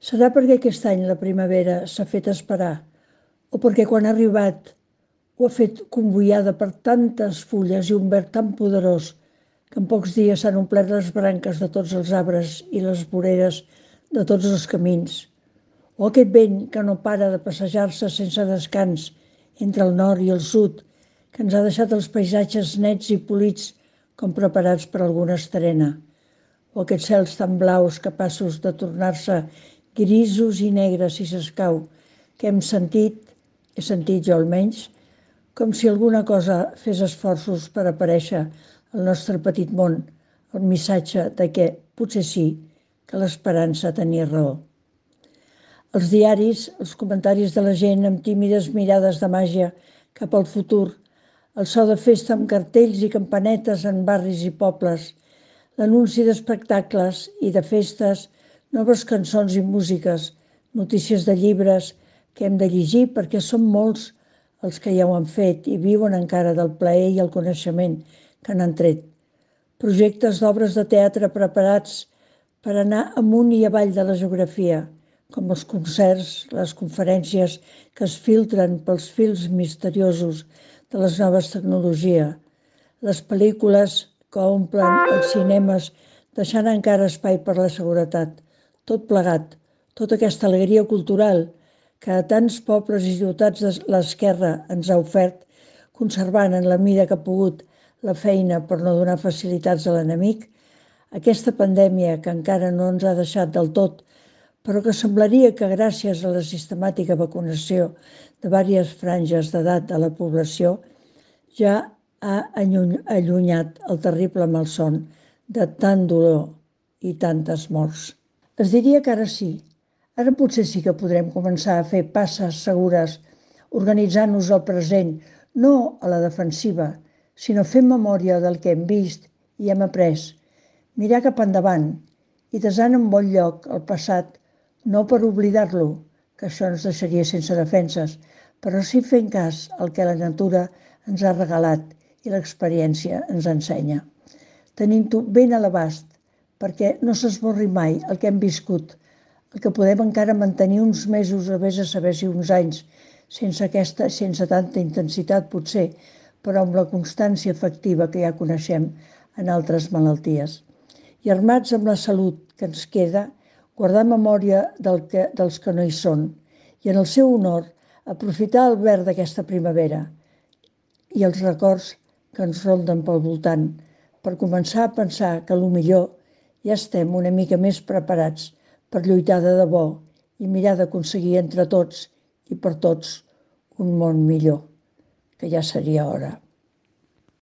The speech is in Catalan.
Serà perquè aquest any la primavera s'ha fet esperar o perquè quan ha arribat ho ha fet convoiada per tantes fulles i un verd tan poderós que en pocs dies s'han omplert les branques de tots els arbres i les voreres de tots els camins. O aquest vent que no para de passejar-se sense descans entre el nord i el sud, que ens ha deixat els paisatges nets i polits com preparats per alguna estrena. O aquests cels tan blaus capaços de tornar-se grisos i negres si s'escau, que he sentit jo almenys, com si alguna cosa fes esforços per aparèixer al nostre petit món, el missatge de que, potser sí, que l'esperança tenia raó. Els diaris, els comentaris de la gent amb tímides mirades de màgia cap al futur, el so de festa amb cartells i campanetes en barris i pobles, l'anunci d'espectacles i de festes, noves cançons i músiques, notícies de llibres que hem de llegir perquè són molts els que ja ho han fet i viuen encara del plaer i el coneixement que n'han tret. Projectes d'obres de teatre preparats per anar amunt i avall de la geografia, com els concerts, les conferències que es filtren pels fils misteriosos de les noves tecnologies, les pel·lícules que omplen els cinemes deixant encara espai per la seguretat, tot plegat, tota aquesta alegria cultural que a tants pobles i ciutats de l'esquerra ens ha ofert, conservant en la mida que ha pogut la feina per no donar facilitats a l'enemic, aquesta pandèmia que encara no ens ha deixat del tot, però que semblaria que gràcies a la sistemàtica vacunació de diverses franges d'edat de la població ja ha allunyat el terrible malson de tant dolor i tantes morts. Es diria que ara sí, ara potser sí que podrem començar a fer passes segures, organitzant-nos al present, no a la defensiva, sinó fent memòria del que hem vist i hem après, mirar cap endavant i desant en bon lloc el passat, no per oblidar-lo, que això ens deixaria sense defenses, però sí fent cas al que la natura ens ha regalat i l'experiència ens ensenya. Tenint-ho ben a l'abast, perquè no s'esborri mai el que hem viscut, el que podem encara mantenir uns mesos o vés a saber si uns anys, sense tanta intensitat potser, però amb la constància efectiva que ja coneixem en altres malalties. I armats amb la salut que ens queda, guardar memòria dels que no hi són i en el seu honor aprofitar el verd d'aquesta primavera i els records que ens ronden pel voltant per començar a pensar que millor ja estem una mica més preparats per lluitar de debò i mirar d'aconseguir entre tots i per tots un món millor, que ja seria hora.